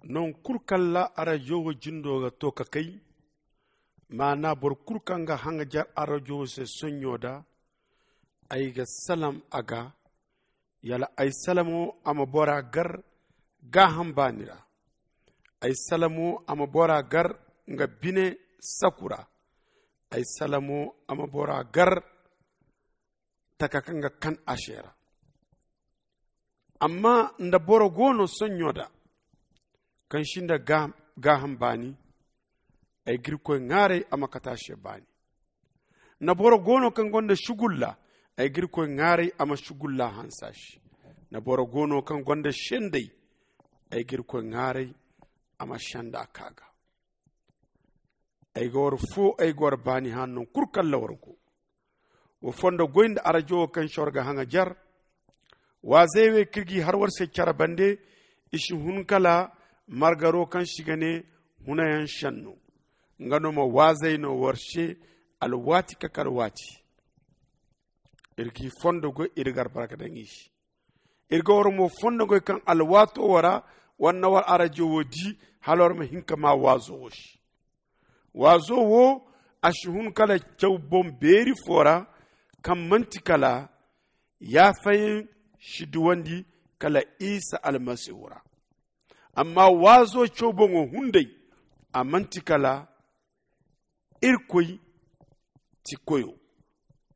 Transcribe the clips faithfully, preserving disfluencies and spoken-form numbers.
Non kulu kaŋ ra arajo wo jindo ga to ka kay, maana boro kulu kaŋ ga haŋajer arajo wo se sonɲo da, ay ga salam a ga. Yala ay salamo a ma bora gar gaaham baani ra. Ay salamo a ma bora gar nga bine saku ra. Ay salamo a ma bora gar taka kaŋ ga kan a se ra. Amma nda boro go no sonɲo da kaŋ sinda gaaham baani, ay ga Irkoy ŋwaaray a ma kate a se baani. Nda boro go no kaŋ gonda sugulla, ay ga Irkoy ŋwaaray a ma sugulla hanse a se. Nda boro go no kaŋ gonda sendey, ay ga Irkoy ŋwaaray a ma senda ka ga. Ay ga war fo, ay ga war baani hã non kulu kaŋ ra war go. Wa fondo goy nda arajo wo kaŋ se war ga haŋajer. Waazey wey kaŋ ir g'i har war se care bande, i si hun kala margaro kaŋ se i ga ne hunayaŋ senno. Nga no ma waazey no war se alwaati ka kala waati. Ir g'i fondo goy, ir ga albarka daŋ i se. Ir ga war mo fondo goy kaŋ alwaato wo ra war na war arajo wo di, hala war ma hin ka maa waazo wo se. Waazo wo, a si hun kala caw boŋ beeri fo ra kaŋ manti kala yaafayaŋ si duwandi kala Isa Almasihu ra. Amma waazo caw boŋo hunday, a manti kala Irkoy ti Koyo,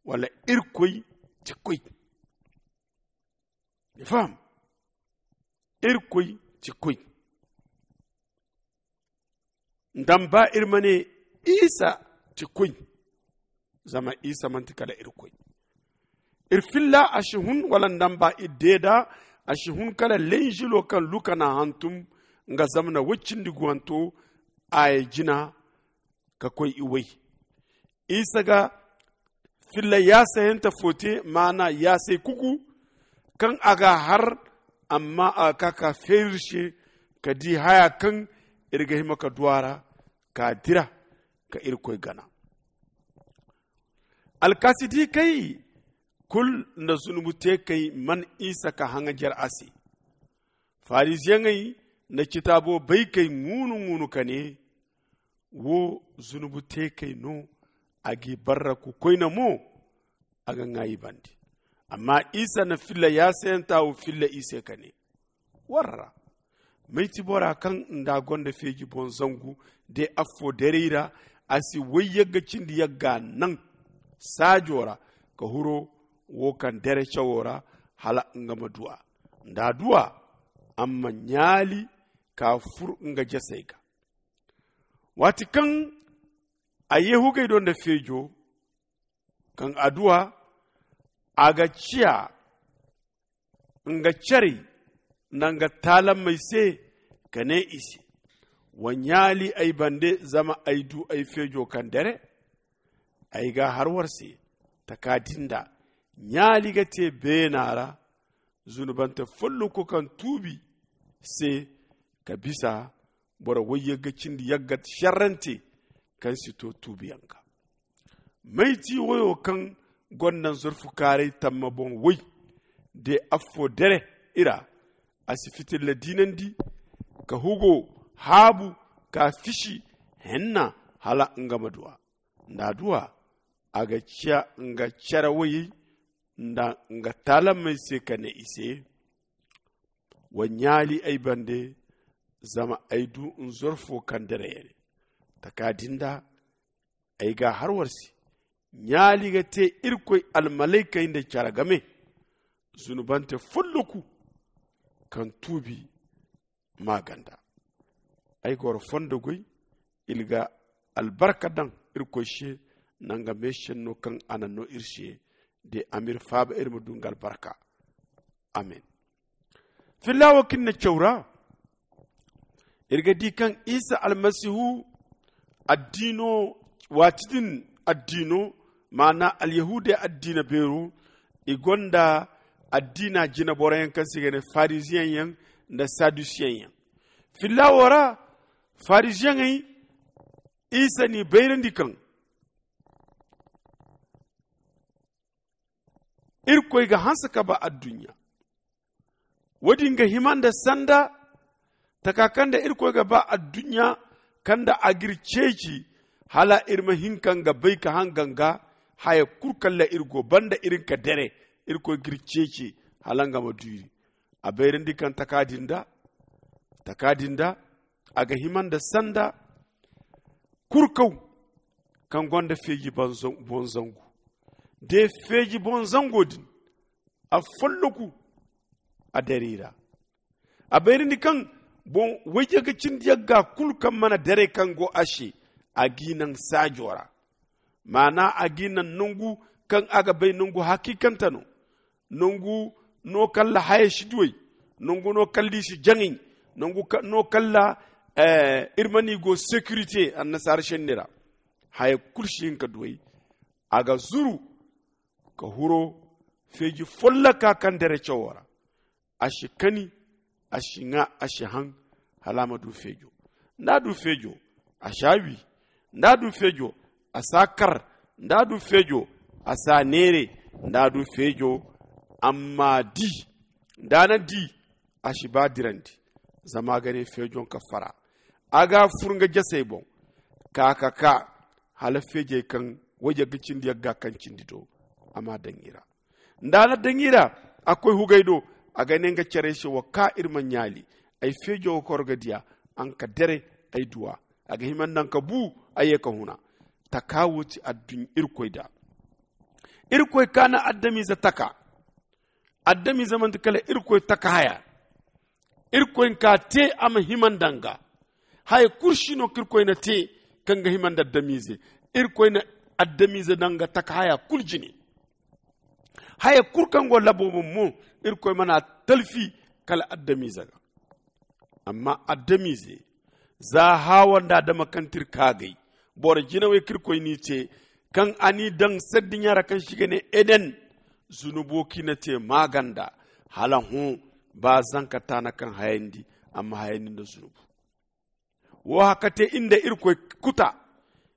wala Irkoy ti Koy. Ni faham? Irkoy ti Koy. Ndamba ir ma ne Isa ti Koy, zama Isa manti kala Irkoy. Ir filla a si hun, wala ndamba ir deeda, a si hun kala Lenjilo kaŋ Luka na hantum, nga zamana way cindi guwanto, a ye jina ka koy i way. Isa ga filla yaasayante fo te, maana yaasay kuku kaŋ a ga a har, amma a ga ka ka feeri ir se ka di haya kaŋ ir ga hima ka du a ra, ka dira ka Irkoy gana. Alkaasi di kay kulu nda zunubu te kay man Isa ka haŋajer a se. Farisiyeŋey na citaabo bay kay ŋuunu-ŋuunu ka ne, wo zunubu te kay no, a g'i barraku koyne mo, a ga ŋaa i bande. Amma Isa na filla yaasayanta wo filla i se ka ne, warra, may ti bora kaŋ nda a gonda feeji boŋ zangu de affo daray ra, a si wayyagga cindi yagga naŋ saajo ra ka huro wo kaŋ dere cawo ra, hala nga ma duw'a? Nda a duw'a, a ma ɲaali ka fur nga jasey ga. Waati kaŋ a ye hugey do nda feejo, kaŋ a duw'a, a ga ciya nga carey nda nga taalamey se ka ne i se, wa ɲaali ay bande, zama ay du ay feejo kaŋ dere. Ay ga a har war se, taka din da ɲaali ga te beena ra zunubante folloku kaŋ tuubi se ka bisa boro wayyagga cindi yagga sharrante kaŋ si to tuubiyaŋ ga. May ti woyo kaŋ gonda nzorfu kaaray tamma boŋ way de affo dere i ra? A si fitilla diinandi ka hugo haabu ka fisi henna hala nga ma duw'a. Nda a duw'a, a ga ciya nga care wayey nda nga taalamey se ka ne i se, wa ɲaali ay bande, zama ay du nzorfo kaŋ dere ya ne. Taka din da ay ga a har war se, ɲaali ga te Irkoy almalaykey nda care game, zunubante folloku kaŋ tuubi maaganda. Ay ga war fondo goy, ir ga albarka daŋ Irkoy se nanga meesenno kaŋ a na no ir se, de a m'ir faaba ir ma du nga albarka. Amen. Filla wo kaŋ na caw ra, ir ga di kaŋ Isa Almasihu addiino, waati din addiino, maana Alyahuudey addiina beero, i gonda addiina jineboroyaŋ kaŋ se i ga ne Farisiyeŋ yaŋ nda Sadusiyeŋ yaŋ. Filla wo ra, Farisiyeŋey, Isa n'i bayrandi kaŋ Irkoy ga hanse ka ba adduɲɲa. Wo-din ga hima nda sanda Taka kaŋ da irkoy ga ba adduɲɲa kaŋ da a ga iri ceeci, hala iri ma hin kaŋ ga bay ka haŋ ganga haya kulu kaŋ ra iri go banda iri ka dere. Irkoy ga iri ceeci hala nga ma du iri. A bayrandi kaŋ taka din da taka din da a ga hima nda sanda kurkaw kaŋ gonda feeji boŋ zangu. De feeji boŋ zango din a folloku a dare i ra. A bayrandi kaŋ boŋ wayye ga cindi yagga kulu kaŋ mana dare kaŋ go a se a g'i naŋ saajo ra. Maana a g'i naŋ nangu kaŋ a ga bay nangu hakiikante no. Nangu no kaŋ ra haya si duw'ey. Nangu no kaŋ ra i si jaŋay. Nangu no kaŋ ra iri mana i go securité annasaara senni ra. Haya kulu si hin ka duw'ey. A ga zuru ka huro feeji folloka kaŋ dere cawo ra. A si kani a si ŋwa a si haŋ hala a ma du feejo. Nda a du feejo a si a wi. Nda a du feejo a si a kar. Nda a du feejo a si a neere. Nda a du feejo a ma di. Nda a na di a si ba dirandi. Zama a ga ne feejoŋ ka fara a ga a fur nga jasey boŋ. Ka ka ka hala feejey kaŋ waje ga cindi yagga kaŋ cindi do a ma daŋ i ra. Nda a na daŋ i ra a koy hugay do a ga ne nga carey se wa ka iri ma ɲaali. Ay feejo ga koro ga diya a nga ka dere ay duwa. A ga hima nda a nga ka bu a ye ka huna. Taka wo ti adduɲɲa irkoy da irkoy ka na adamize taka. Adamize manti kala irkoy taka haya. Irkoy nga ka te a ma hima nda nga. Haya kulu si no kaŋ irkoy na te kaŋ ga hima nda adamize. Irkoy na adamize nda nga taka haya kulu jine. Haya kulu kaŋ go labo boŋ mo irkoy mana talfi kala adamize ga. Amma adamize za haawa nda adama kaŋ ti iri kaagay boro jinawey kaŋ irkoy n'i te kaŋ a n'i daŋ sardiɲa ra kaŋ se i ga ne eden. Zunubo kaŋ i na te maaganda hala hõ ba zanka taana kaŋ hayandi a ma hayandi nda zunubu. Wo haka te iri nda irkoy kuta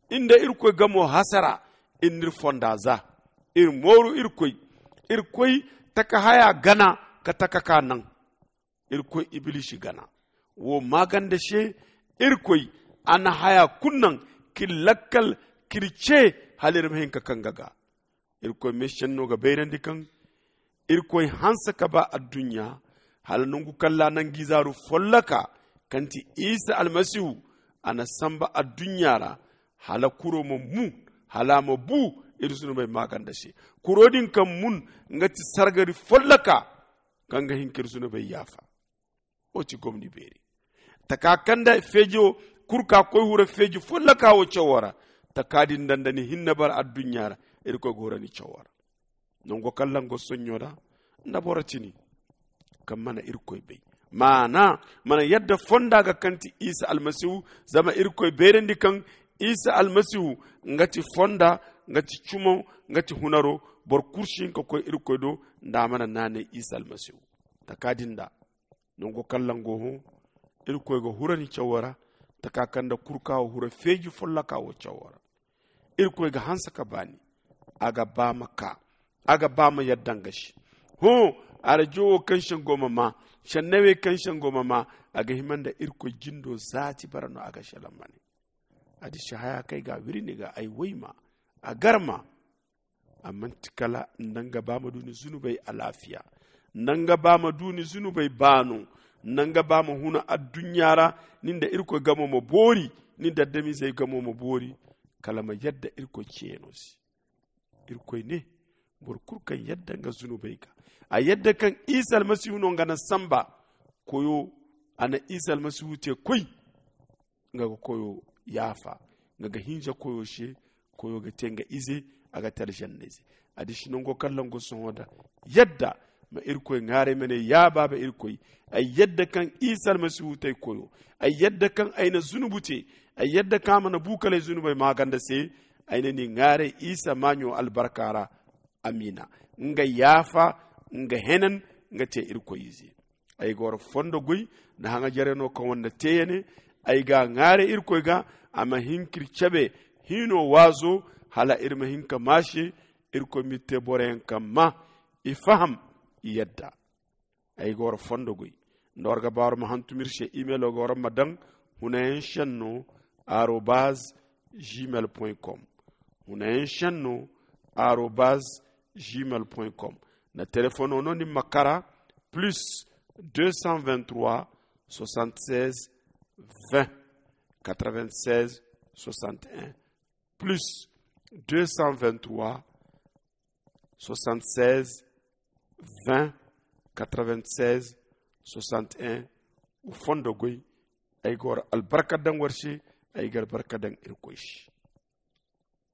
iri nda irkoy gamo hasara. Iri n'iri fonda za iri mooru irkoy. Irkoy taka haya gana ka taka ka naŋ. Irkoy ibilisi gana wo maaganda se. Irkoy a na haya kulu naŋ k'iri lakkal k'iri ce hala iri ma hin ka kaŋ ga ga. Irkoy meesenno ga bayrandi kaŋ irkoy hanse ka ba adduɲɲa hala nangu kaŋ ra a na nga izaaru folloka kaŋ ti isa almasihu. A na samba adduɲɲa ra hala kuro ma mun hala a ma bu iri zunubey maaganda se. Kuro din kaŋ mun nga ti sargari folloka kaŋ ga hin ka iri zunubey yaafa. Wo ti gomni beeri taka kaŋ da feejo kurka koy hura feeji folloka wo cawo ra. Taka din da nda ni hinne bara adduɲɲa ra irkoy ga hura ni cawo ra. Nango kaŋ lango soɲɲo ra nda boro tini kaŋ mana irkoy bay maana mana yadda fonda ga kaŋ ti isa almasihu. Zama irkoy bayrandi kaŋ isa almasihu nga ti fonda nga ti cumo nga ti hunaro. Boro kulu si hin ka koy irkoy do nda a mana naanay isa almasihu. Taka din da nango kaŋ lango hõ irkoy ga hura ni cawo ra. Taka kaŋ da kurka wo hura feeji folloka wo cawo ra irkoy ga hanse ka ba ni. A ga ba ma ka a ga ba ma yadda nga se. Hõ arajo wo kaŋ se nga go ma ma sennawey kaŋ se nga go ma ma a ga hima nda irkoy jindo zaati bara no a ga selaŋ ma ne. A di si haya kaŋ ay ga a wiri ni ga ay wayma a gar ma. A manti kala nda nga ba ma du ni zunubey alaafiya nda nga ba ma du ni zunubey baano nda nga ba ma huna adduɲɲa ra. Ni nda irkoy gamo ma boori ni nda adamizey gamo ma boori kala ma yadda irkoy ceeno se. Irkoy ne boro kulu kaŋ yadda nga zunubey ga a yadda kaŋ isa almasihu no nga na samba koyo a na isa almasihu te koy. Nga ga koyo yaafa nga ga hinza koyo se. Koyo ga te nga ize a ga te alžanna ize. A di si nango kaŋ lango sohõ da yadda ma irkoy ŋwaaray ma ne ya baaba irkoy ay yadda kaŋ isa almasihu te ay koyo ay yadda kaŋ ay na zunubu te ay yadda kaŋ a mana bu kala ay zunubey maaganda se. Ay na ni ŋwaaray isa maaɲo albarka ra. Amiina. Nga yaafa nga henan nga te irkoy ize. Ay ga war fondo goy nda haŋajerey no kaŋ war na te ya ne ay ga a ŋwaaray irkoy ga a ma hin k'iri cabe hino waazo hala iri ma hin ka maase. Irkoy m'iri te boroyaŋ kaŋ ma i faham i yadda. Ay ga war fondo goy Nda war ga ba war ma hantum ir se, emailo ga war ma daŋ hunayaŋ senno arobaz gmail point com. Hunayaŋ senno arobaz gmail point com. Na telefono no ni ma kara plus deux cent vingt-trois soixante-seize vingt quatre-vingt-seize soixante-un, plus deux cent vingt-trois soixante-seize vingt quatre-vingt-seize soixante-un. Wa fondo goy. Ay ga war albarka daŋ war se. Ay ga albarka daŋ Irkoy se.